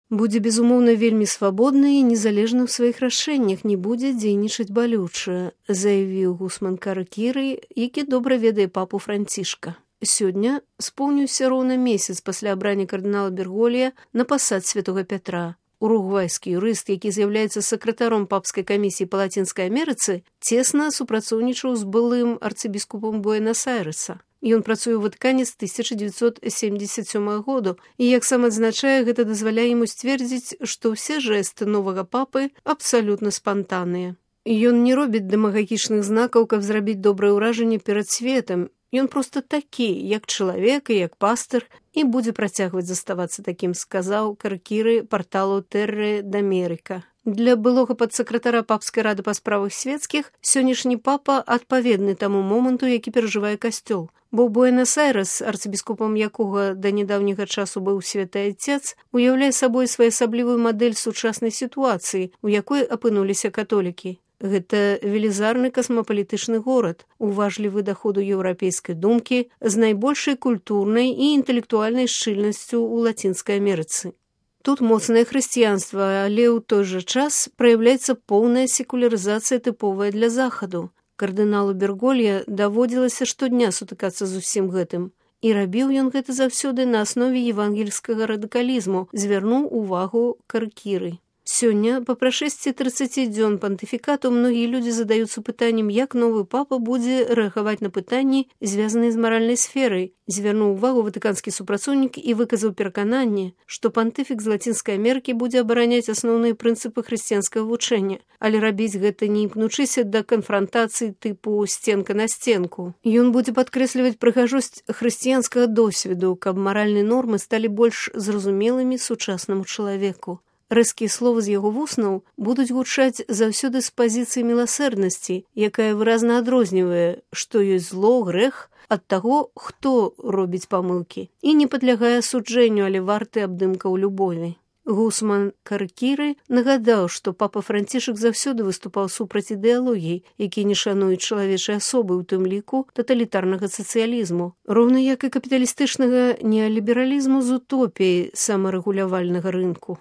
Будзе, безумоўна, вельмі свабодны і незалежны ў сваіх рашэннях, не будзе дзейнічаць балюча, заявіў Гусман Каракіры, які добра ведае папу Францішка. Сёння споўніўся роўна месяц пасля абрання кардынала Берголья на пасад святога Пятра. Уругвайскі юрыст, які з'яўляецца сакратаром папскай камісіі па Лацінскай Амерыцы, цесна супрацоўнічаў з былым арцыбіскупам Буэнас-Айрэса. Ён працуе ў Ватыкане з 1977 году, і, як сам адзначае, гэта дазваляе яму сцвердзіць, што ўсе жэсты новага папы абсалютна спантанныя. Ён не робіць дэмагагічных знакаў, каб зрабіць добрае ўражанне перад светам. Ён проста такі, як чалавек і як пастыр, і будзе працягваць заставацца такім, сказаў Каракіры парталу Тэрре d'Америка. Для былога падсакратара папскай рады па справах свецкіх сённяшні папа адпаведны таму моманту, які перажывае касцёл. Бо Буэнас-Айрэс, арцыбіскупам якога да нядаўняга часу быў святы Отец, уяўляе сабой своеасаблівую мадэль сучаснай сітуацыі, у якой апынуліся католікі. Гэта велізарны касмапалітычны горад, уважлівы да ходу еўрапейскай думкі, з найбольшай культурнай і інтэлектуальнай шчыльнасцю ў Лацінскай Амерыцы. Тут моцнае хрысціянства, але ў той жа час праяўляецца поўная секулярызацыя тыповая для захаду. Кардыналу Берголья даводзілася штодня сутыкацца з усім гэтым. І рабіў ён гэта заўсёды на аснове евангельскага радыкалізму, звярнуў увагу Каракіры. Сёння, па прашэсці 30 дзён пантыфікату, многія людзі задаюцца пытаннем, як новы папа будзе рэагаваць на пытанні, звязаныя з маральнай сферай. Звярнуў увагу ватыканскі супрацоўнік і выказаў перакананне, што пантыфік з Лацінскай Амерыкі будзе абараняць асноўныя прынцыпы хрысціянскага вучэння, але рабіць гэта не імкнучыся да канфрантацыі тыпу сценка на сценку. Ён будзе падкрэсліваць прыгажосць хрысціянскага досведу, каб маральныя нормы сталі больш зразумелымі сучаснаму чалавеку. Рэзкія словы з яго вуснаў будуць гучаць заўсёды з пазіцыі міласэрнасці, якая выразна адрознівае, што ёсць зло, грэх ад таго, хто робіць памылкі, і не падлягае асуджэнню, але варты абдымкаў любові. Гусман Каракіры нагадаў, што папа Францішак заўсёды выступаў супраць ідэалогій, які не шануюць чалавечай асобы, у тым ліку таталітарнага сацыялізму, роўна як і капіталістычнага неалібералізму з утопіяй самарэгулявальнага рынку.